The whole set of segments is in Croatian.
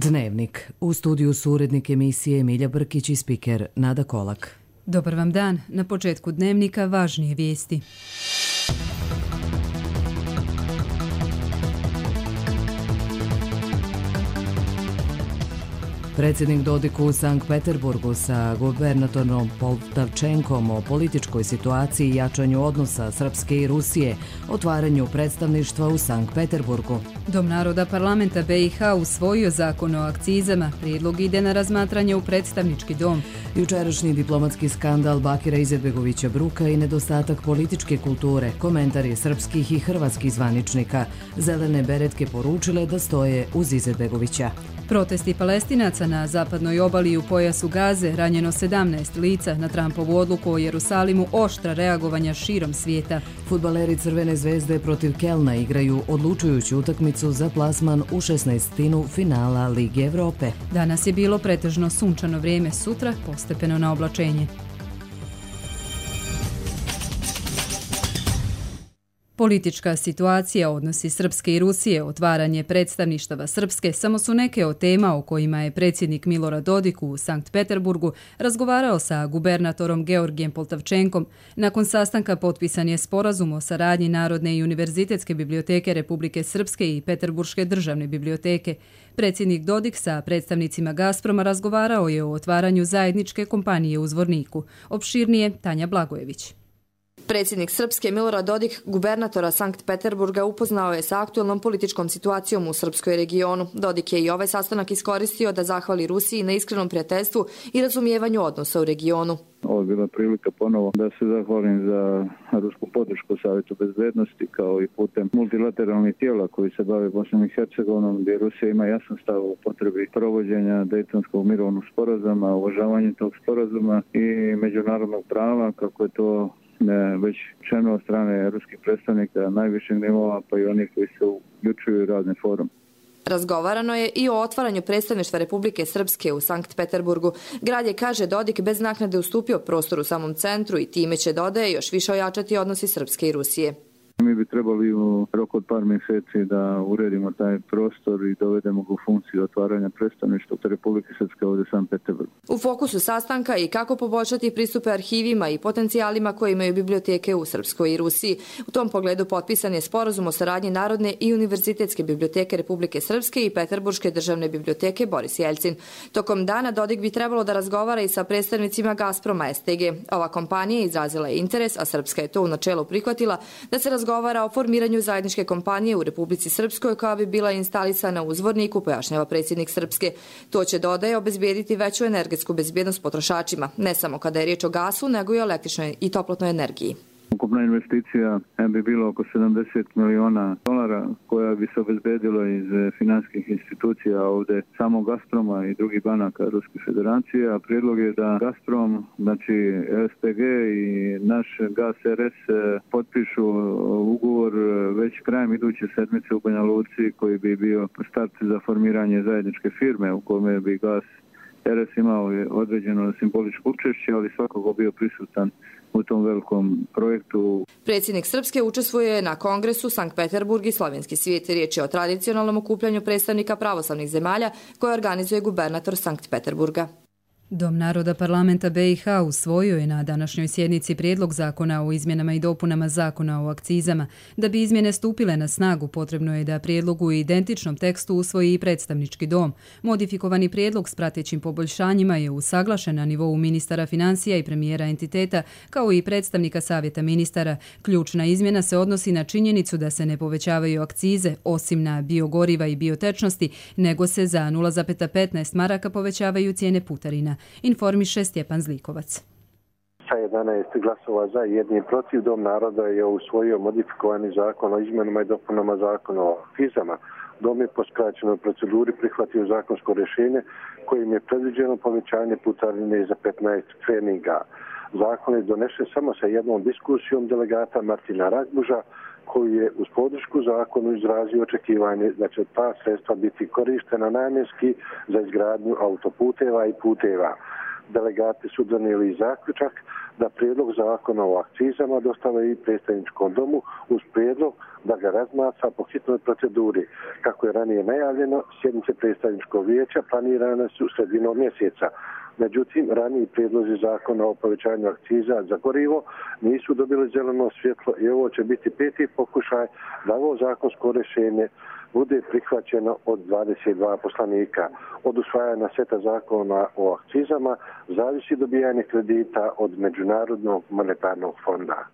Dnevnik. U studiju su urednik emisije Emilija Brkić i spiker Nada Kolak. Dobar vam dan. Na početku Dnevnika važnije vijesti. Predsjednik Dodik u Sankt Peterburgu sa gubernatorom Poltavčenkom o političkoj situaciji i jačanju odnosa Srpske i Rusije, otvaranju predstavništva u Sankt Peterburgu. Dom naroda parlamenta BiH usvojio zakon o akcizama. Prijedlog ide na razmatranje u predstavnički dom. Jučerašnji diplomatski skandal Bakira Izetbegovića Bruka i nedostatak političke kulture, komentari srpskih i hrvatskih zvaničnika. Zelene beretke poručile da stoje uz Izetbegovića. Protesti Palestinaca na zapadnoj obali u pojasu Gaze, ranjeno 17 lica, na Trumpovu odluku o Jerusalimu, oštra reagovanja širom svijeta. Fudbaleri Crvene zvezde protiv Kelna igraju odlučujuću utakmicu za plasman u 16. finala Lige Evrope. Danas je bilo pretežno sunčano vrijeme, sutra postepeno na oblačenje. Politička situacija, odnosi Srpske i Rusije, otvaranje predstavništava Srpske samo su neke od tema o kojima je predsjednik Milorad Dodik u Sankt Peterburgu razgovarao sa gubernatorom Georgijem Poltavčenkom. Nakon sastanka potpisan je sporazum o saradnji Narodne i univerzitetske biblioteke Republike Srpske i Peterburške državne biblioteke. Predsjednik Dodik sa predstavnicima Gazproma razgovarao je o otvaranju zajedničke kompanije u Zvorniku. Opširnije Tanja Blagojević. Predsjednik Srpske Milorad Dodik gubernatora Sankt Peterburga upoznao je sa aktualnom političkom situacijom u srpskoj regionu. Dodik je i ovaj sastanak iskoristio da zahvali Rusiji na iskrenom prijateljstvu i razumijevanju odnosa u regionu. Ovo je bila prilika ponovo da se zahvalim za rusku podršku Savjetu bezbednosti kao i putem multilateralnih tijela koji se bave Bosnom i Hercegovinom, gdje Rusija ima jasan stav o potrebi provođenja Dejtonskog mirovnog sporazuma, uvažavanje tog sporazuma i međunarodnog prava, kako je to već rečeno od strane ruskih predstavnika najvišeg nivoa, pa i onih koji se uključuju u razne forum. Razgovarano je i o otvaranju predstavništva Republike Srpske u Sankt Peterburgu. Grad je, kaže Dodik, bez naknade ustupio prostor u samom centru i time će, dodaje, još više ojačati odnosi Srpske i Rusije. Mi bi trebali u roku od par mjeseci da uredimo taj prostor i dovedemo ga u funkciju otvaranja predstavništva Republike Srpske ovdje u Sankt Peterburgu. U fokusu sastanka i kako poboljšati pristupe arhivima i potencijalima koje imaju biblioteke u Srpskoj i Rusiji. U tom pogledu potpisan je sporazum o saradnji Narodne i univerzitetske biblioteke Republike Srpske i Peterburške državne biblioteke Boris Jelcin. Tokom dana Dodik bi trebalo da razgovara i sa predstavnicima Gazproma STG. Ova kompanija izrazila je interes, a Srpska je to u načelu prihvatila, da se razgovara o formiranju zajedničke kompanije u Republici Srpskoj koja bi bila instalisana u Zvorniku, pojašnjava predsjednik Srpske. To će, dodaje, obezbijediti veću energetsku bezbjednost potrošačima, ne samo kada je riječ o gasu, nego i o električnoj i toplotnoj energiji. Ukupna investicija bi bila oko $70 miliona koja bi se obezbedila iz financijskih institucija ovdje samo Gazproma i drugih banaka Ruske federacije, a prijedlog je da Gazprom, znači STG i naš Gaz RS potpišu ugovor već krajem iduće sedmice u Banja Luci, koji bi bio start za formiranje zajedničke firme u kome bi Gaz RS imao određeno simboličko učešće, ali svakako bio prisutan u tom velikom projektu. Predsjednik Srpske učestvuje na kongresu Sankt Peterburg i Slovenski svijet. Riječ je o tradicionalnom okupljanju predstavnika pravoslavnih zemalja koje organizuje gubernator Sankt Peterburga. Dom naroda parlamenta BiH usvojio je na današnjoj sjednici prijedlog zakona o izmjenama i dopunama zakona o akcizama. Da bi izmjene stupile na snagu, potrebno je da prijedlogu u identičnom tekstu usvoji i predstavnički dom. Modifikovani prijedlog s pratećim poboljšanjima je usaglašen na nivou ministara financija i premijera entiteta, kao i predstavnika savjeta ministara. Ključna izmjena se odnosi na činjenicu da se ne povećavaju akcize, osim na biogoriva i biotečnosti, nego se za 0,15 maraka povećavaju cijene putarina. Informiše Stjepan Zlikovac. Sa 11 glasova za i 1 protiv, Dom naroda je usvojio modifikovani zakon o izmjenama i dopunama zakona o akcizama. Dom je po skraćenoj proceduri prihvatio zakonsko rješenje kojim je predviđeno povećanje putarine za 15 pfeniga. Zakon je donesen samo sa jednom diskusijom delegata Martina Ragbuža, koji je uz podršku zakonu izrazio očekivanje da će ta sredstva biti korištena namjenski za izgradnju autoputeva i puteva. delegati su donijeli zaključak da prijedlog zakona o akcizama dostave i predstavničkom domu uz prijedlog da ga razmatra po hitnoj proceduri. Kako je ranije najavljeno, sjednice predstavničkog vijeća planirane su sredinom mjeseca. Međutim, raniji prijedlozi zakona o povećanju akciza za gorivo nisu dobili zeleno svjetlo i ovo će biti peti pokušaj da ovo zakonsko rješenje bude prihvaćeno od 22 poslanika. Od usvajanja seta zakona o akcizama zavisi dobijanje kredita od Međunarodnog monetarnog fonda.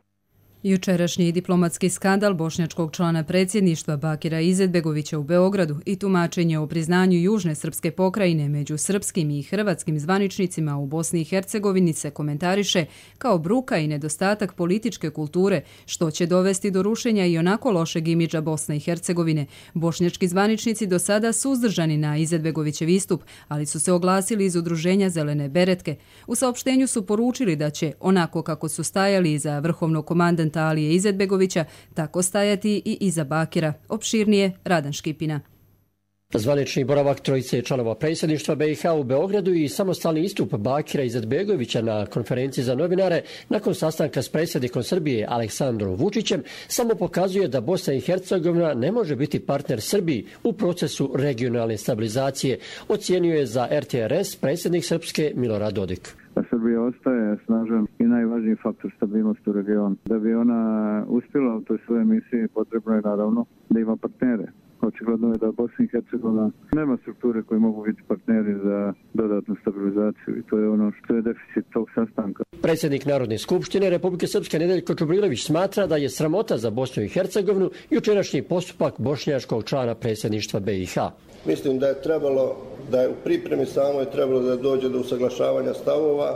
Jučerašnji diplomatski skandal bošnjačkog člana predsjedništva Bakira Izetbegovića u Beogradu i tumačenje o priznanju Južne srpske pokrajine među srpskim i hrvatskim zvaničnicima u Bosni i Hercegovini se komentariše kao bruka i nedostatak političke kulture, što će dovesti do rušenja i onako lošeg imidža Bosne i Hercegovine. Bošnjački zvaničnici do sada suzdržani na Izetbegovićev istup, ali su se oglasili iz udruženja Zelene beretke. U saopštenju su poručili da će, onako kako su stajali iza vrhovnog komandanta Alije Izetbegovića, tako stajati i iza Bakira. Opširnije Radan Škipina. Zvanični boravak trojice članova predsjedništva BiH u Beogradu i samostalni istup Bakira Izetbegovića na konferenciji za novinare nakon sastanka s predsjednikom Srbije Aleksandrom Vučićem samo pokazuje da Bosna i Hercegovina ne može biti partner Srbiji u procesu regionalne stabilizacije, ocijenio je za RTRS predsjednik Srpske Milorad Dodik. Srbija ostaje snažan i najvažniji faktor stabilnosti u regionu. Da bi ona uspjela u toj svojoj misiji, potrebno je naravno da ima partnere. Očigledno je da Bosna i Hercegovina nema strukture koje mogu biti partneri za dodatnu stabilizaciju i to je ono što je deficit tog sastanka. Predsjednik Narodne skupštine Republike Srpske Nedeljko Čubrilović smatra da je sramota za Bosnu i Hercegovinu jučerašnji postupak bošnjačkog člana predsjedništva BiH. Mislim da je trebalo, da je u pripremi samoj trebalo da dođe do usaglašavanja stavova,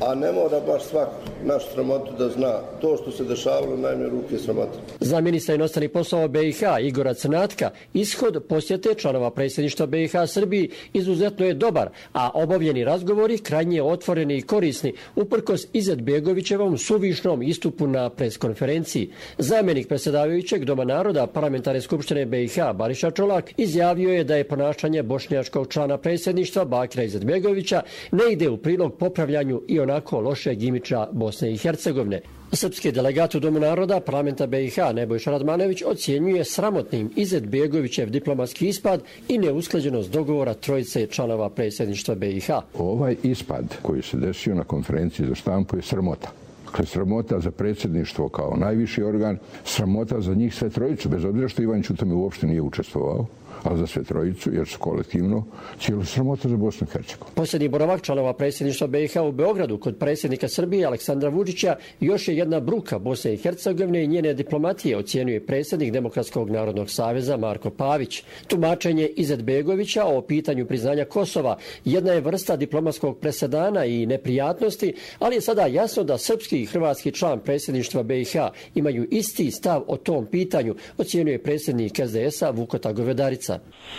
a ne mora baš svak naš sramotu da zna. To što se dešavalo najmanje ruke sramota. Za ministra inostranih poslova BiH Igora Crnatka ishod posjete članova predsjedništva BiH Srbiji izuzetno je dobar, a obavljeni razgovori krajnje otvoreni i korisni uprkos Izetbegovićevom suvišnom istupu na preskonferenciji. Zamjenik predsjedavajućeg Doma naroda Parlamentarne skupštine BiH Bariša Čolak izjavio je da je ponašanje bošnjačkog člana predsjedništva Bakira Izetbegovića ne ide u prilog popravljanju i onako lošeg imidža Bosne i Hercegovine. Srpski delegat u Domu naroda Parlamenta BiH Nebojša Radmanović ocjenjuje sramotnim Izetbegovićev diplomatski ispad i neusklađenost dogovora trojice članova predsjedništva BiH. Ovaj ispad koji se desio na konferenciji za štampu je sramota. Dakle, sramota za predsjedništvo kao najviši organ, sramota za njih sve trojicu, bez obzira što Ivan Ćuta uopšte nije učestvovao, ali za sve trojicu, jer su kolektivno cijelo sramota za Bosnu i Hercegovinu. Posljednji boravak članova predsjedništva BiH u Beogradu kod predsjednika Srbije Aleksandra Vučića još je jedna bruka Bosne i Hercegovine i njene diplomatije, ocjenjuje predsjednik Demokratskog narodnog saveza Marko Pavić. Tumačenje Izetbegovića o pitanju priznanja Kosova jedna je vrsta diplomatskog presedana i neprijatnosti, ali je sada jasno da srpski i hrvatski član predsjedništva BiH imaju isti stav o tom pitanju, ocjenjuje predsjednik SDS-a Vukota Govedarica.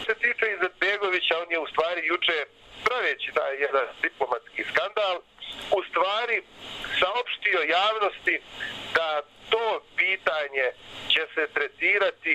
Što se tiče Izetbegovića, on je u stvari juče, praveći taj jedan diplomatski skandal, u stvari saopštio javnosti da to pitanje će se tretirati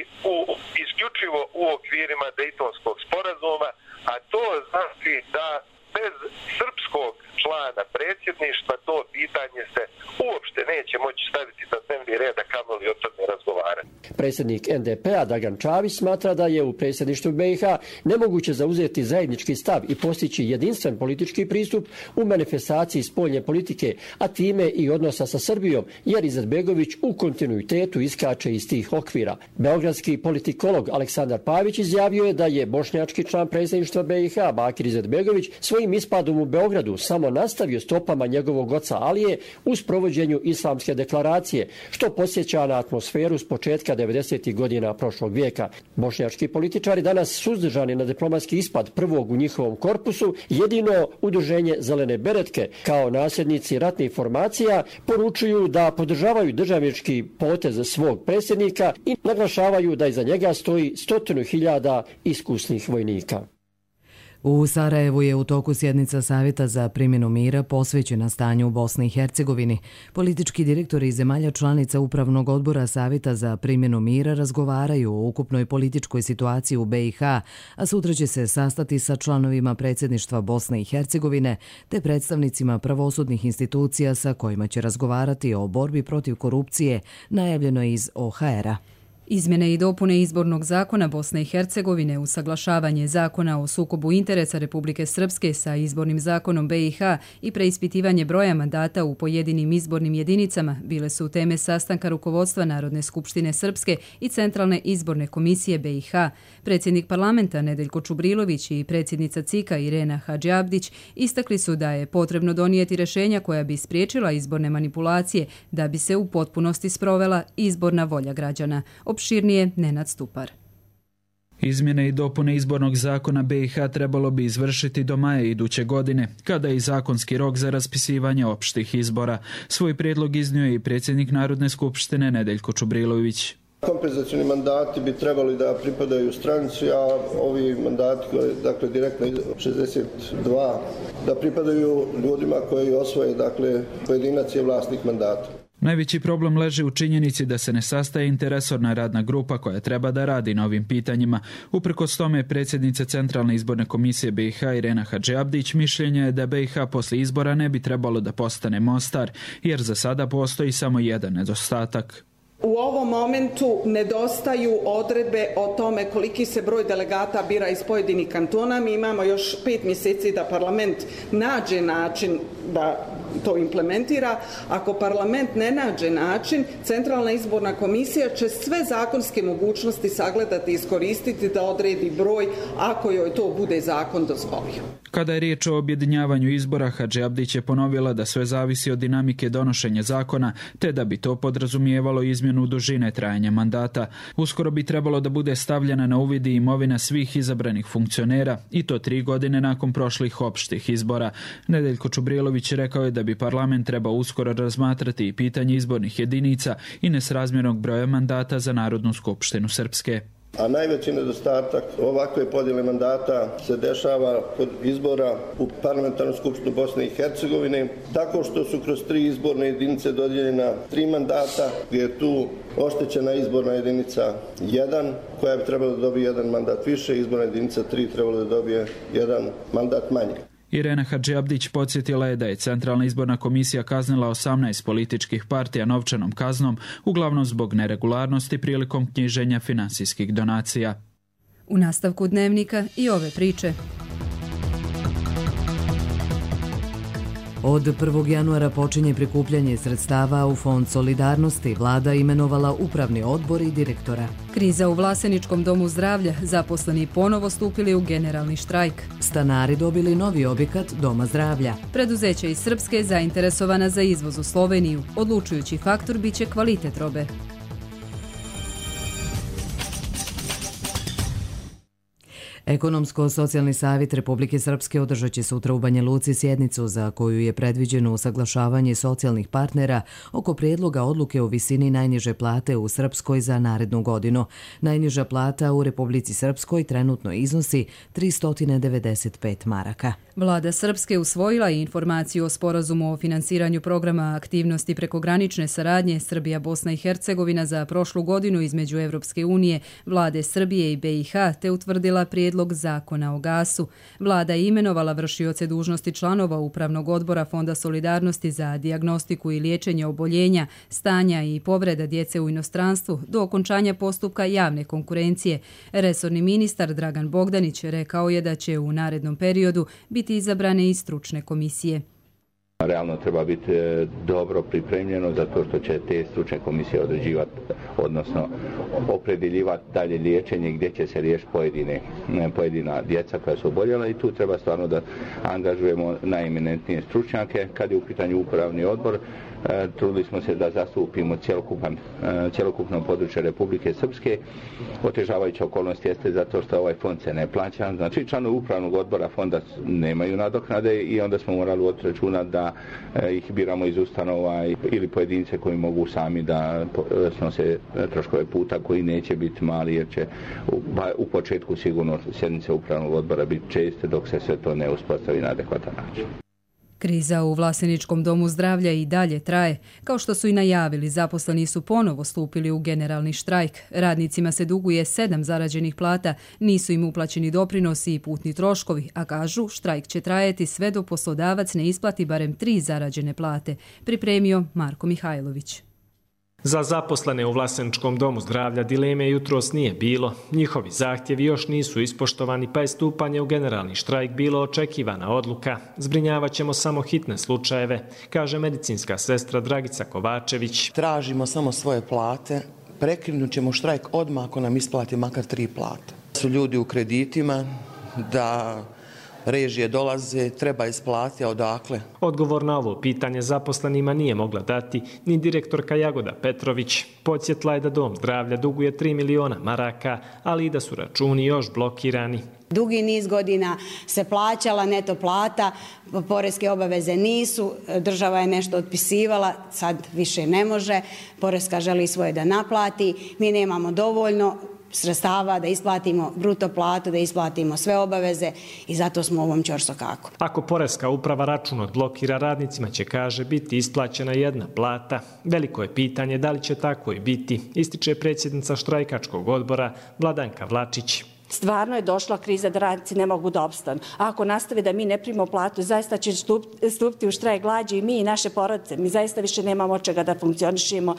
isključivo u okvirima Dejtonskog sporazuma, a to znači da bez srpskog člana predsjedništva to pitanje se uopšte neće moći staviti na dnevni red, a kamoli o tome razgovarati. Predsjednik NDP-a Dragan Čavić smatra da je u predsjedništvu BiH nemoguće zauzeti zajednički stav i postići jedinstven politički pristup u manifestaciji spoljne politike, a time i odnosa sa Srbijom, jer Izetbegović u kontinuitetu iskače iz tih okvira. Beogradski politikolog Aleksandar Pavić izjavio je da je bošnjački član predsjedništva BiH Bakir Izetbegović svojim ispadom u Beogradu samo nastavio stopama njegovog oca Alije u sprovođenju islamske deklaracije, što podsjeća na atmosferu s početka 90. godina prošlog vijeka. Bošnjački političari danas suzdržani na diplomatski ispad prvog u njihovom korpusu, jedino udruženje Zelene beretke kao nasljednici ratnih formacija poručuju da podržavaju državnički potez svog predsjednika i naglašavaju da iza njega stoji 100.000 iskusnih vojnika. U Sarajevu je u toku sjednica Savjeta za primjenu mira posvećena stanju u Bosni i Hercegovini. Politički direktori zemalja članica Upravnog odbora Savjeta za primjenu mira razgovaraju o ukupnoj političkoj situaciji u BiH, a sutra će se sastati sa članovima predsjedništva Bosne i Hercegovine te predstavnicima pravosudnih institucija sa kojima će razgovarati o borbi protiv korupcije, najavljeno iz OHR-a. Izmjene i dopune izbornog zakona Bosne i Hercegovine, usaglašavanje zakona o sukobu interesa Republike Srpske sa izbornim zakonom BiH i preispitivanje broja mandata u pojedinim izbornim jedinicama bile su teme sastanka rukovodstva Narodne skupštine Srpske i Centralne izborne komisije BiH. Predsjednik parlamenta Nedeljko Čubrilović i predsjednica CIK-a Irena Hadžiabdić istakli su da je potrebno donijeti rješenja koja bi spriječila izborne manipulacije da bi se u potpunosti sprovela izborna volja građana. Opširnije Nenad Stupar. Izmjene i dopune izbornog zakona BiH trebalo bi izvršiti do maja iduće godine, kada je i zakonski rok za raspisivanje opštih izbora. Svoj prijedlog iznio je i predsjednik Narodne skupštine Nedeljko Čubrilović. Kompenzacioni mandati bi trebali da pripadaju stranci, a ovi mandati, dakle direktno 62, da pripadaju ljudima koji osvoje, dakle pojedinac je vlasnik mandata. Najveći problem leži u činjenici da se ne sastaje interresorna radna grupa koja treba da radi na ovim pitanjima. Uprkos tome, predsjednica Centralne izborne komisije BiH Irena Hadžiabdić mišljenja je da BiH poslije izbora ne bi trebalo da postane Mostar, jer za sada postoji samo jedan nedostatak. U ovom momentu nedostaju odredbe o tome koliki se broj delegata bira iz pojedinih kantona. Mi imamo još 5 mjeseci da parlament nađe način da to implementira. Ako parlament ne nađe način, Centralna izborna komisija će sve zakonske mogućnosti sagledati i iskoristiti da odredi broj ako joj to bude zakon dozvolio. Kada je riječ o objedinjavanju izbora, Hadžiabdić je ponovila da sve zavisi od dinamike donošenja zakona, te da bi to podrazumijevalo izmjenu dužine trajanja mandata. Uskoro bi trebalo da bude stavljena na uvid i imovina svih izabranih funkcionera, i to 3 godine nakon prošlih opštih izbora. Nedeljko Čubrilović rekao je da bi parlament trebao uskoro razmatrati i pitanje izbornih jedinica i nesrazmjernog broja mandata za Narodnu skupštinu Srpske. A najveći nedostatak ovakve podjele mandata se dešava kod izbora u parlamentarnu skupštinu Bosne i Hercegovine, tako što su kroz 3 izborne jedinice dodijeljena 3 mandata, gdje je tu oštećena izborna jedinica 1, koja bi trebala da dobije 1 mandat više, izborna jedinica 3 trebala da dobije 1 mandat manje. Irena Hadžiabdić podsjetila je da je Centralna izborna komisija kaznila 18 političkih partija novčanom kaznom, uglavnom zbog neregularnosti prilikom knjiženja finansijskih donacija. U nastavku dnevnika i ove priče. Od 1. januara počinje prikupljanje sredstava u Fond solidarnosti. Vlada imenovala upravni odbor i direktora. Kriza u Vlaseničkom domu zdravlja, zaposleni ponovo stupili u generalni štrajk. Stanari dobili novi objekat Doma zdravlja. Preduzeće iz Srpske zainteresovana za izvoz u Sloveniju. Odlučujući faktor biće kvalitet robe. Ekonomsko-socijalni savjet Republike Srpske održat će sutra u Banja Luci sjednicu za koju je predviđeno usaglašavanje socijalnih partnera oko prijedloga odluke o visini najniže plate u Srpskoj za narednu godinu. Najniža plata u Republici Srpskoj trenutno iznosi 395 maraka. Vlada Srpske usvojila i informaciju o sporazumu o finansiranju programa aktivnosti prekogranične saradnje Srbija-Bosna i Hercegovina za prošlu godinu između Evropske unije, Vlade Srbije i BiH, te utvrdila prijedlog zakona o gasu. Vlada je imenovala vršioce dužnosti članova Upravnog odbora Fonda solidarnosti za dijagnostiku i liječenje oboljenja, stanja i povreda djece u inostranstvu do okončanja postupka javne konkurencije. Resorni ministar Dragan Bogdanić rekao je da će u narednom periodu biti izabrane i stručne komisije. Realno treba biti dobro pripremljeno zato što će te stručne komisije određivati, odnosno opredjeljivati dalje liječenje gdje će se riješiti pojedina djeca koja su oboljela i tu treba stvarno da angažujemo najeminentnije stručnjake. Kad je u pitanju upravni odbor, trudili smo se da zastupimo cjelokupno područje Republike Srpske. Otežavajuća okolnost jeste zato što ovaj fond se ne plaća. Znači članovi upravnog odbora fonda nemaju nadoknade i onda smo morali voditi računa da ih biramo iz ustanova ili pojedince koji mogu sami da snose troškove puta koji neće biti mali jer će u početku sigurno sjednice upravnog odbora biti česte dok se sve to ne uspostavi na adekvatan način. Kriza u Vlaseničkom domu zdravlja i dalje traje. Kao što su i najavili, zaposleni su ponovo stupili u generalni štrajk. Radnicima se duguje 7 zarađenih plata, nisu im uplaćeni doprinosi i putni troškovi, a kažu štrajk će trajati sve do poslodavac ne isplati barem 3 zarađene plate, pripremio Marko Mihajlović. Za zaposlene u Vlaseničkom domu zdravlja dileme jutros nije bilo. Njihovi zahtjevi još nisu ispoštovani, pa je stupanje u generalni štrajk bilo očekivana odluka. Zbrinjavat ćemo samo hitne slučajeve, kaže medicinska sestra Dragica Kovačević. Tražimo samo svoje plate, prekinut ćemo štrajk odmah ako nam isplati makar 3 plate. Su ljudi u kreditima, da režije dolaze, treba isplatiti, a odakle? Odgovor na ovo pitanje zaposlenima nije mogla dati ni direktorka Jagoda Petrović. Podsjetla je da dom zdravlja duguje 3 miliona maraka, ali i da su računi još blokirani. Dugi niz godina se plaćala neto plata, poreske obaveze nisu, država je nešto otpisivala, sad više ne može, poreska želi svoje da naplati, mi nemamo dovoljno sredstava da isplatimo bruto platu, da isplatimo sve obaveze i zato smo u ovom ćorsokaku. Ako poreska uprava račun odblokira, radnicima će, kaže, biti isplaćena 1 plata. Veliko je pitanje da li će tako i biti, ističe predsjednica štrajkačkog odbora Vladanka Vlačić. Stvarno je došla kriza da radnici ne mogu da opstanu. A ako nastave da mi ne primimo platu, zaista će stupiti u štrajk glađu i mi i naše porodice. Mi zaista više nemamo od čega da funkcionišemo.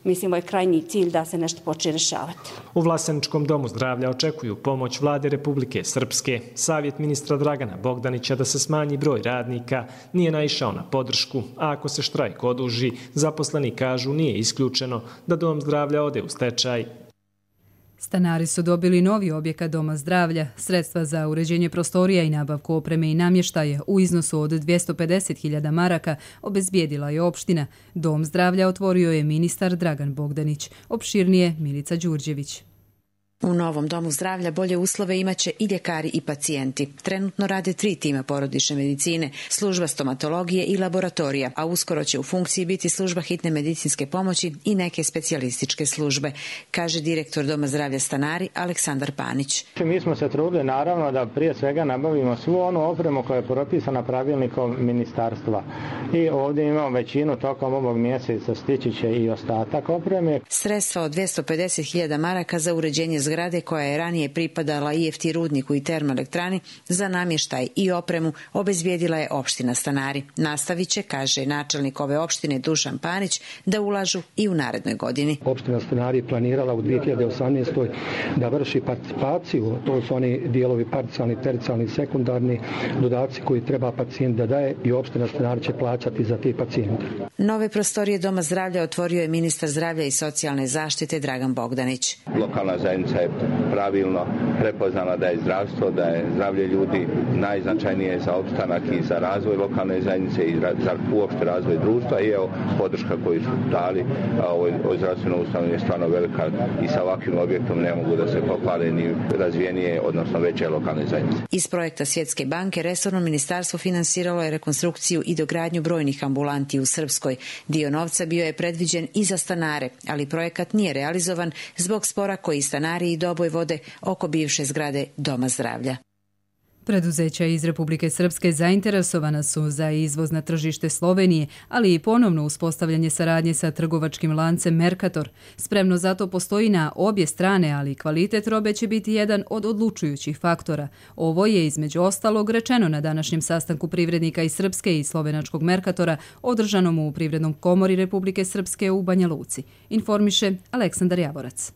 Mislimo je krajnji cilj da se nešto počne rješavati. U Vlaseničkom domu zdravlja očekuju pomoć Vlade Republike Srpske. Savjet ministra Dragana Bogdanića da se smanji broj radnika nije naišao na podršku, a ako se štrajk oduži, zaposleni kažu nije isključeno da dom zdravlja ode u stečaj. Stanari su dobili novi objekat doma zdravlja. Sredstva za uređenje prostorija i nabavku opreme i namještaja u iznosu od 250.000 maraka obezbijedila je opština. Dom zdravlja otvorio je ministar Dragan Bogdanić. Opširnije Milica Đurđević. U novom domu zdravlja bolje uslove imaće i ljekari i pacijenti. Trenutno rade 3 tima porodične medicine, služba stomatologije i laboratorija, a uskoro će u funkciji biti služba hitne medicinske pomoći i neke specijalističke službe, kaže direktor Doma zdravlja Stanari Aleksandar Panić. Mi smo se trudili naravno da prije svega nabavimo svu onu opremu koja je propisana pravilnikom ministarstva. I ovdje imamo većinu tokom ovog mjeseca, stići će i ostatak opreme. Sredstva od 250.000 maraka za uređenje zgrade koja je ranije pripadala IFT rudniku i termoelektrani za namještaj i opremu obezbijedila je opština Stanari. Nastavit će, kaže načelnik ove opštine Dušan Panić, da ulažu i u narednoj godini. Opština Stanari je planirala u 2018. da vrši participaciju, to su oni dijelovi parcijalni, tercijalni, sekundarni dodaci koji treba pacijent da daje i opština Stanari će plaćati za te pacijente. Nove prostorije Doma zdravlja otvorio je ministar zdravlja i socijalne zaštite Dragan Bogdanić. Lokalna zajednica je pravilno prepoznala da je zdravstvo, da je zdravlje ljudi najznačajnije za opstanak i za razvoj lokalne zajednice i za uopšte razvoj društva i evo podrška koju su dali ovoj zdravstvenoj ustanovi je stvarno velika i sa ovakvim objektom ne mogu da se pohvale ni razvijenije, odnosno veće lokalne zajednice. Iz projekta Svjetske banke resorno ministarstvo finansiralo je rekonstrukciju i dogradnju brojnih ambulanti u Srpskoj. Dio novca bio je predviđen i za stanare, ali projekat nije realizovan zbog spora koji stanari i Doboj vode oko bivše zgrade Doma zdravlja. Preduzeća iz Republike Srpske zainteresovana su za izvoz na tržište Slovenije, ali i ponovno uspostavljanje saradnje sa trgovačkim lancem Mercator. Spremno zato postoji na obje strane, ali kvalitet robe će biti jedan od odlučujućih faktora. Ovo je između ostalog rečeno na današnjem sastanku privrednika iz Srpske i slovenačkog Mercatora održanom u Privrednom komori Republike Srpske u Banja Luci. Informiše Aleksandar Javorac.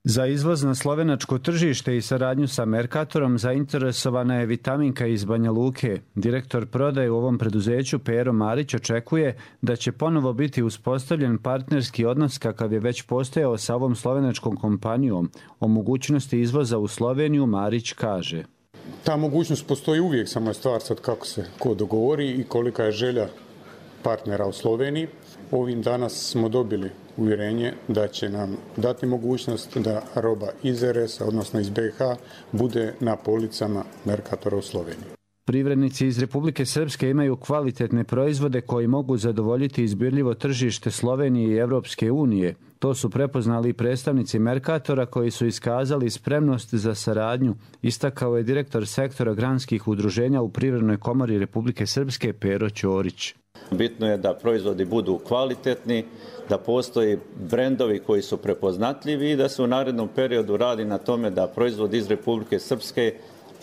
Za izvoz na slovenačko tržište i saradnju sa Mercatorom zainteresovana je Vitaminka iz Banja Luke. Direktor prodaje u ovom preduzeću Pero Marić očekuje da će ponovo biti uspostavljen partnerski odnos kakav je već postojao sa ovom slovenačkom kompanijom. O mogućnosti izvoza u Sloveniju Marić kaže. Ta mogućnost postoji uvijek, samo je stvar sad kako se ko dogovori i kolika je želja partnera u Sloveniji. Ovim danas smo dobili uvjerenje da će nam dati mogućnost da roba iz RS, odnosno iz BiH, bude na policama Mercatora u Sloveniji. Privrednici iz Republike Srpske imaju kvalitetne proizvode koji mogu zadovoljiti izbirljivo tržište Slovenije i Evropske unije. To su prepoznali predstavnici Mercatora koji su iskazali spremnost za saradnju, istakao je direktor sektora granskih udruženja u Privrednoj komori Republike Srpske Pero Ćorić. Bitno je da proizvodi budu kvalitetni, da postoji brendovi koji su prepoznatljivi i da se u narednom periodu radi na tome da proizvodi iz Republike Srpske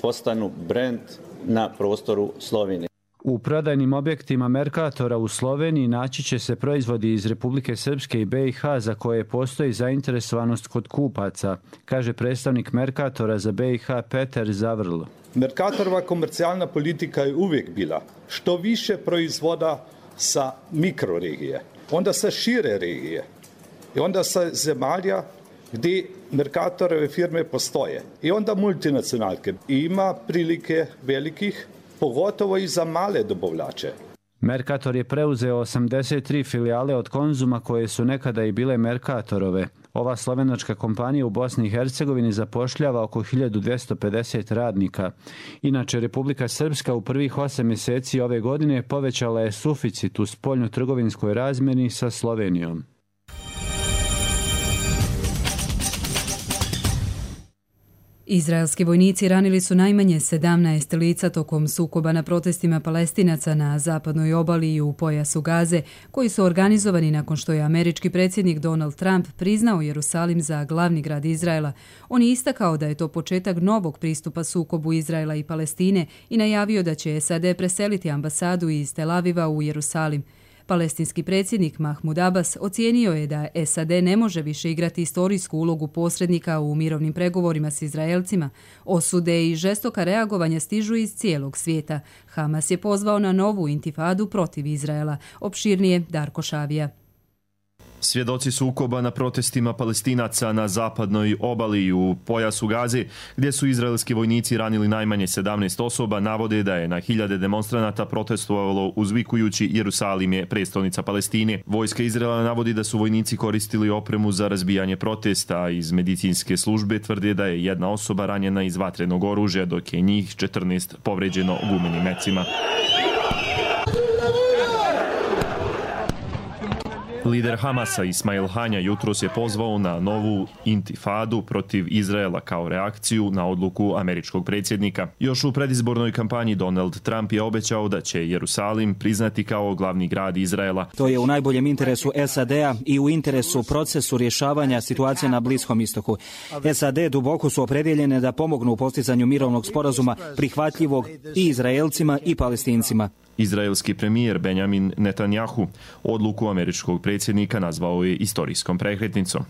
postanu brend na prostoru Slovenije. U prodajnim objektima Mercatora u Sloveniji naći će se proizvodi iz Republike Srpske i BiH za koje postoji zainteresovanost kod kupaca, kaže predstavnik Mercatora za BiH Peter Zavrl. Mercatorova komercijalna politika je uvijek bila što više proizvoda sa mikroregije, onda sa šire regije i onda sa zemalja gdje Mercatorove firme postoje i onda multinacionalke. Ima prilike velikih, pogotovo i za male dobavljače. Mercator je preuzeo 83 filijale od Konzuma koje su nekada i bile Mercatorove. Ova slovenačka kompanija u Bosni i Hercegovini zapošljava oko 1250 radnika. Inače, Republika Srpska u prvih 8 mjeseci ove godine povećala je suficit u spoljno-trgovinskoj razmjeni sa Slovenijom. Izraelski vojnici ranili su najmanje 17 lica tokom sukoba na protestima Palestinaca na zapadnoj obali i u pojasu Gaze, koji su organizovani nakon što je američki predsjednik Donald Trump priznao Jerusalim za glavni grad Izraela. On je istakao da je to početak novog pristupa sukobu Izraela i Palestine i najavio da će SAD preseliti ambasadu iz Tel Aviva u Jerusalim. Palestinski predsjednik Mahmud Abbas ocijenio je da SAD ne može više igrati istorijsku ulogu posrednika u mirovnim pregovorima s Izraelcima. Osude i žestoka reagovanja stižu iz cijelog svijeta. Hamas je pozvao na novu intifadu protiv Izraela. Opširnije Darko Šavija. Svjedoci sukoba na protestima Palestinaca na zapadnoj obali i u pojasu Gaze, gdje su izraelski vojnici ranili najmanje 17 osoba, navode da je na hiljade demonstranata protestovalo uzvikujući Jerusalim je prestolnica Palestine. Vojska Izraela navodi da su vojnici koristili opremu za razbijanje protesta, a iz medicinske službe tvrde da je jedna osoba ranjena iz vatrenog oružja, dok je njih 14 povređeno gumenim mecima. Lider Hamasa Ismail Hanja jutros je pozvao na novu intifadu protiv Izraela kao reakciju na odluku američkog predsjednika. Još u predizbornoj kampanji Donald Trump je obećao da će Jerusalim priznati kao glavni grad Izraela. To je u najboljem interesu SAD-a i u interesu procesu rješavanja situacije na Bliskom istoku. SAD duboko su opredjeljene da pomognu u postizanju mirovnog sporazuma prihvatljivog i Izraelcima i Palestincima. Izraelski premijer Benjamin Netanjahu odluku američkog predsjednika nazvao je istorijskom prekretnicom.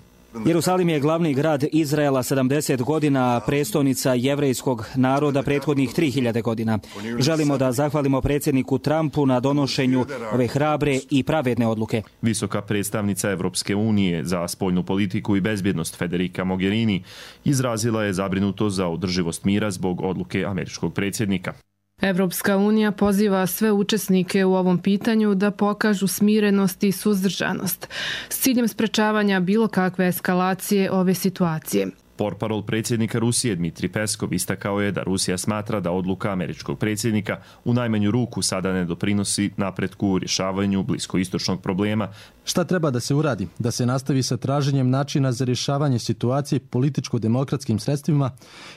Jerusalim je glavni grad Izraela 70 godina, prestolnica jevrejskog naroda prethodnih 3000 godina. Želimo da zahvalimo predsjedniku Trumpu na donošenju ove hrabre i pravedne odluke. Visoka predstavnica Evropske unije za spoljnu politiku i bezbjednost Federica Mogherini izrazila je zabrinutost za održivost mira zbog odluke američkog predsjednika. Evropska unija poziva sve učesnike u ovom pitanju da pokažu smirenost i suzdržanost s ciljem sprečavanja bilo kakve eskalacije ove situacije. Portparol predsjednika Rusije Dmitri Peskov istakao je da Rusija smatra da odluka američkog predsjednika u najmanju ruku sada ne doprinosi napretku u rješavanju bliskoistočnog problema. Šta treba da se uradi? Da se nastavi sa traženjem načina za rješavanje situacije političko-demokratskim sredstvima,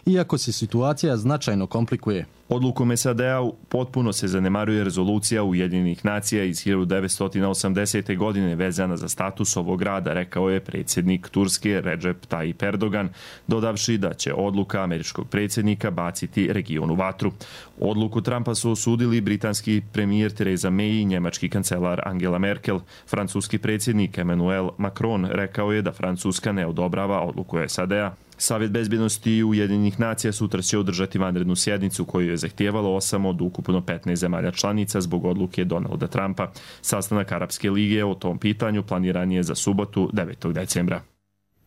iako se situacija značajno komplikuje. Odlukom SAD-a potpuno se zanemaruje rezolucija Ujedinjenih nacija iz 1980. godine vezana za status ovog grada, rekao je predsjednik Turske Recep Tayyip Erdogan, dodavši da će odluka američkog predsjednika baciti regionu vatru. Odluku Trumpa su osudili britanski premijer Theresa May i njemački kancelar Angela Merkel. Francuski predsjednik Emmanuel Macron rekao je da Francuska ne odobrava odluku SAD-a. Savjet bezbjednosti Ujedinjenih nacija sutra će održati vanrednu sjednicu koju je zahtijevalo 8 od ukupno 15 zemalja članica zbog odluke Donalda Trumpa. Sastanak Arapske lige o tom pitanju planiran je za subotu 9. decembra.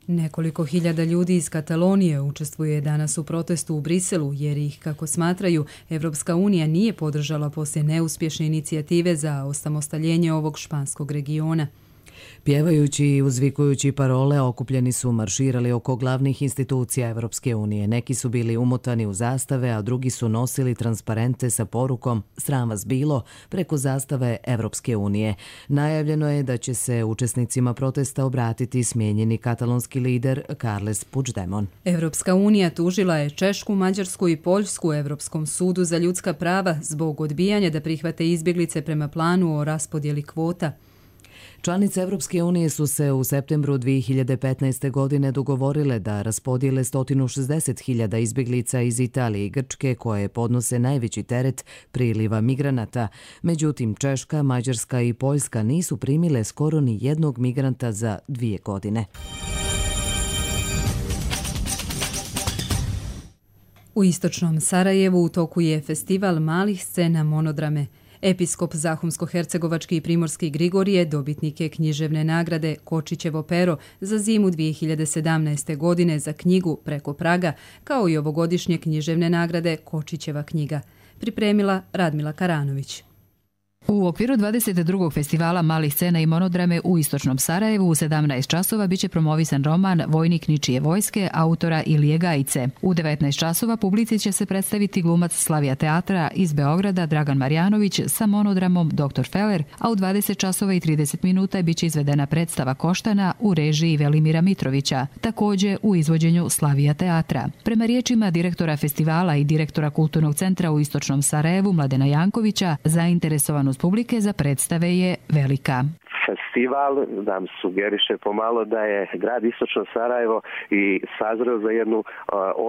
Nekoliko hiljada ljudi iz Katalonije učestvuje danas u protestu u Briselu jer ih, kako smatraju, Evropska unija nije podržala poslije neuspješne inicijative za osamostaljenje ovog španskog regiona. Pjevajući i uzvikujući parole, okupljeni su marširali oko glavnih institucija Evropske unije. Neki su bili umotani u zastave, a drugi su nosili transparente sa porukom "Sram vas bilo" preko zastave Evropske unije. Najavljeno je da će se učesnicima protesta obratiti smijenjeni katalonski lider Carles Puigdemont. Evropska unija tužila je Češku, Mađarsku i Poljsku u Evropskom sudu za ljudska prava zbog odbijanja da prihvate izbjeglice prema planu o raspodjeli kvota. Članice Evropske unije su se u septembru 2015. godine dogovorile da raspodijele 160.000 izbjeglica iz Italije i Grčke koje podnose najveći teret priliva migranata. Međutim, Češka, Mađarska i Poljska nisu primile skoro ni jednog migranta za 2 godine. U istočnom Sarajevu u toku je festival malih scena Monodrame. Episkop Zahumsko-hercegovački i primorski Grigorije dobitnik je književne nagrade Kočićevo pero za zimu 2017. godine za knjigu Preko praga, kao i ovogodišnje književne nagrade Kočićeva knjiga. Pripremila Radmila Karanović. U okviru 22. festivala malih scena i monodrame u istočnom Sarajevu u 17 časova biće promovisan roman Vojnik ničije vojske autora Ilije Gajice. U 19 časova publici će se predstaviti glumac Slavija teatra iz Beograda Dragan Marjanović sa monodramom Dr. Feller, a u 20 časova i 30 minuta biće izvedena predstava Koštana u režiji Velimira Mitrovića, također u izvođenju Slavija teatra. Prema riječima direktora festivala i direktora Kulturnog centra u istočnom Sarajevu Mladena Jankovića, zainteresovanost publike za predstave je velika. Festival nam sugeriše pomalo da je grad Istočno Sarajevo i sazreo za jednu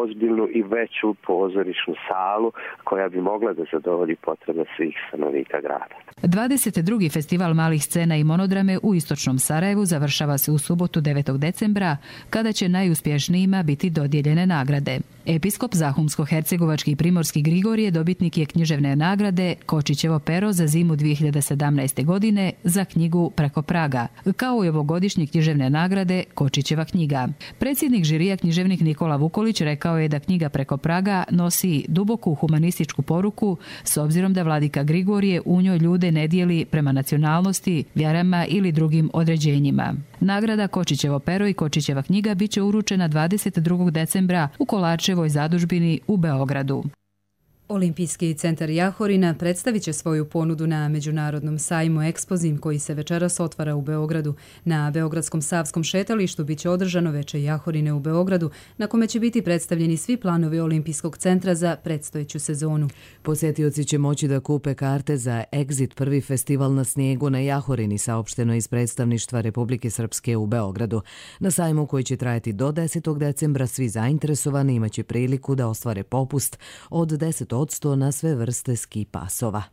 ozbiljnu i veću pozorišnu salu koja bi mogla da zadovolji potrebe svih stanovnika grada. 22. festival malih scena i monodrame u Istočnom Sarajevu završava se u subotu 9. decembra, kada će najuspješnijima biti dodijeljene nagrade. Episkop Zahumsko-hercegovački i primorski Grigorije dobitnik je književne nagrade Kočićevo pero za zimu 2017. godine za knjigu Preko praga, kao i ovogodišnje književne nagrade Kočićeva knjiga. Predsjednik žirija književnik Nikola Vukolić rekao je da knjiga Preko praga nosi duboku humanističku poruku s obzirom da vladika Grigorije u njoj ljude ne dijeli prema nacionalnosti, vjerama ili drugim određenjima. Nagrada Kočićevo pero i Kočićeva knjiga biće uručena 22. decembra u Kolarčevoj zadužbini u Beogradu. Olimpijski centar Jahorina predstavit će svoju ponudu na Međunarodnom sajmu Ekspozim koji se večeras otvara u Beogradu. Na Beogradskom Savskom šetalištu biće održano veče Jahorine u Beogradu, na kome će biti predstavljeni svi planovi Olimpijskog centra za predstojeću sezonu. Posjetioci će moći da kupe karte za Exit, prvi festival na snijegu na Jahorini, saopšteno iz predstavništva Republike Srpske u Beogradu. Na sajmu koji će trajati do 10. decembra svi zainteresovani imaće priliku da ostvare popust od 10% na sve vrste ski pasova.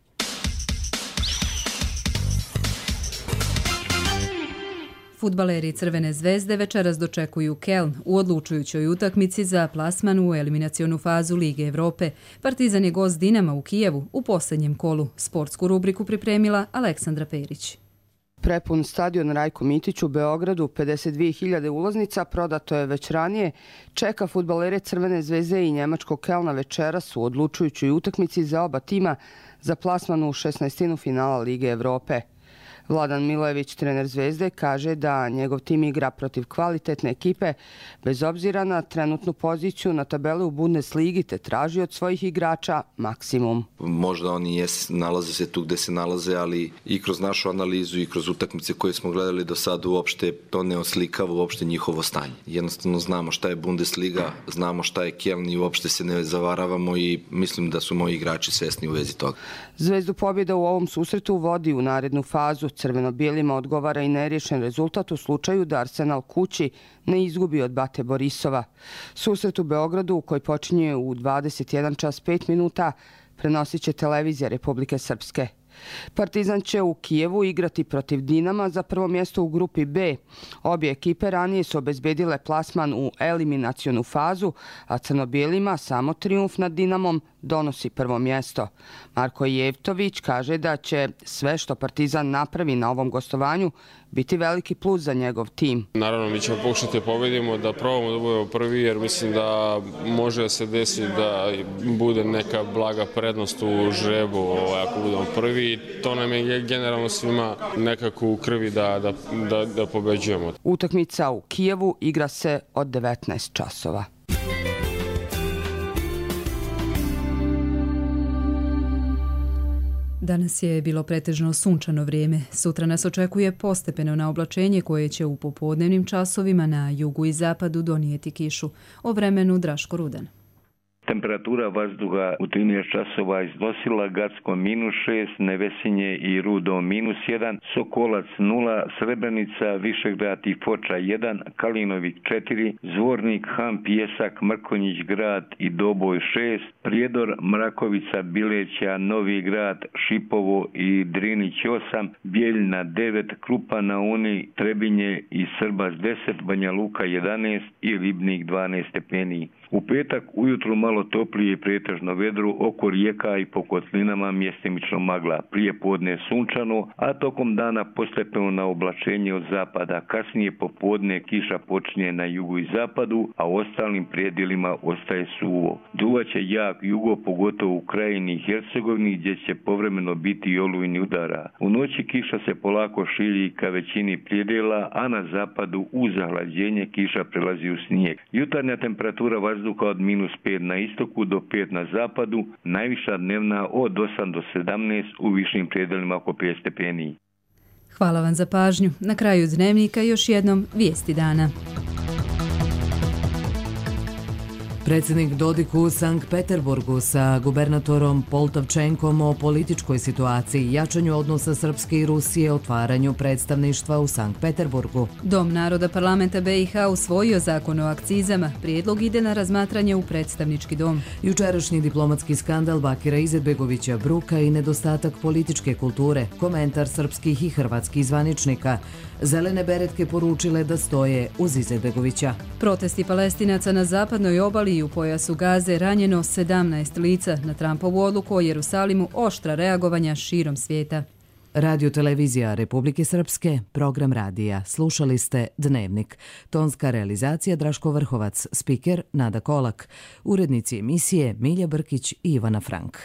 Fudbaleri Crvene zvezde večeras dočekuju Keln u odlučujućoj utakmici za plasman u eliminacionu fazu Lige Evrope. Partizan je gost Dinama u Kijevu u posljednjem kolu. Sportsku rubriku pripremila Aleksandra Perić. Prepun stadion Rajko Mitić u Beogradu, 52.000 ulaznica, prodato je već ranije, čeka fudbalere Crvene zvezde i njemačkog Kelna večeras u odlučujućoj utakmici za oba tima za plasman u 16. finala Lige Evrope. Vladan Milojević, trener Zvezde, kaže da njegov tim igra protiv kvalitetne ekipe bez obzira na trenutnu poziciju na tabeli u Bundesligi te traži od svojih igrača maksimum. Možda oni nalaze se tu gde se nalaze, ali i kroz našu analizu i kroz utakmice koje smo gledali do sada uopšte to ne oslikava uopšte njihovo stanje. Jednostavno znamo šta je Bundesliga, znamo šta je Keln i uopšte se ne zavaravamo i mislim da su moji igrači svesni u vezi toga. Zvezdu pobjeda u ovom susretu vodi u narednu fazu. Crveno-bijelima odgovara i neriješen rezultat u slučaju da Arsenal kući ne izgubi od Bate Borisova. Susret u Beogradu, koji počinje u 21 čas 5 minuta, prenosit će televizija Republike Srpske. Partizan će u Kijevu igrati protiv Dinama za prvo mjesto u grupi B. Obje ekipe ranije su obezbedile plasman u eliminacionu fazu, a crno-bijelima samo trijumf nad Dinamom donosi prvo mjesto. Marko Jevtović kaže da će sve što Partizan napravi na ovom gostovanju biti veliki plus za njegov tim. Naravno, mi ćemo pokušati da pobedimo, da probamo da budemo prvi, jer mislim da može da se desi da bude neka blaga prednost u žrebu ako budemo prvi. To nam je generalno svima nekako u krvi da pobeđujemo. Utakmica u Kijevu igra se od 19 časova. Danas je bilo pretežno sunčano vrijeme. Sutra nas očekuje postepeno naoblačenje koje će u popodnevnim časovima na jugu i zapadu donijeti kišu. O vremenu Draško Rudan. Temperatura vazduha u 13 časova iznosila Gacko -6, Nevesinje i Rudo -1, Sokolac 0, Srebrenica, Višegrad i Foča 1, Kalinovik 4, Zvornik, Han, Pjesak, Mrkonjić grad i Doboj 6, Prijedor, Mrakovica, Bileća, Novi grad, Šipovo i Drinić 8, Bijeljina 9, Krupa na Uni, Trebinje i Srbas 10, Banja Luka 11 i Ribnik 12 stepeni. U petak ujutru malo toplije i pretežno vedro, oko rijeka i po kotlinama mjestimično magla. Prije podne sunčano, a tokom dana postepeno na oblačenje od zapada. Kasnije popodne kiša počinje na jugu i zapadu, a u ostalim predjelima ostaje suvo. Duvaće jak jugo, pogotovo u Krajini i Hercegovini, gdje će povremeno biti i olujni udara. U noći kiša se polako širi ka većini predjela, a na zapadu uz zahlađenje kiša prelazi u snijeg. Jutarnja temperatura vazduha od -5 na istoku do 5 na zapadu, najviša dnevna od 8 do 17, u višim predjelima oko 5 stepeni. Hvala vam za pažnju. Na kraju dnevnika još jednom vijesti dana. Predsjednik Dodik u Sankt Peterburgu sa gubernatorom Poltavčenkom o političkoj situaciji, jačanju odnosa Srpske i Rusije, otvaranju predstavništva u Sankt Peterburgu. Dom naroda parlamenta BiH usvojio zakon o akcizama. Prijedlog ide na razmatranje u predstavnički dom. Jučerašnji diplomatski skandal Bakira Izetbegovića Bruka i nedostatak političke kulture, komentar srpskih i hrvatskih zvaničnika. Zelene beretke poručile da stoje uz Izetbegovića. Protesti Palestinaca na zapadnoj obali i u pojasu Gaze ranjeno 17 lica. Na Trumpovu odluku o Jerusalimu oštra reagovanja širom svijeta. Radio televizija Republike Srpske, program radija. Slušali ste Dnevnik. Tonska realizacija Draško Vrhovac, spiker Nada Kolak. Urednici emisije Milja Brkić i Ivana Frank.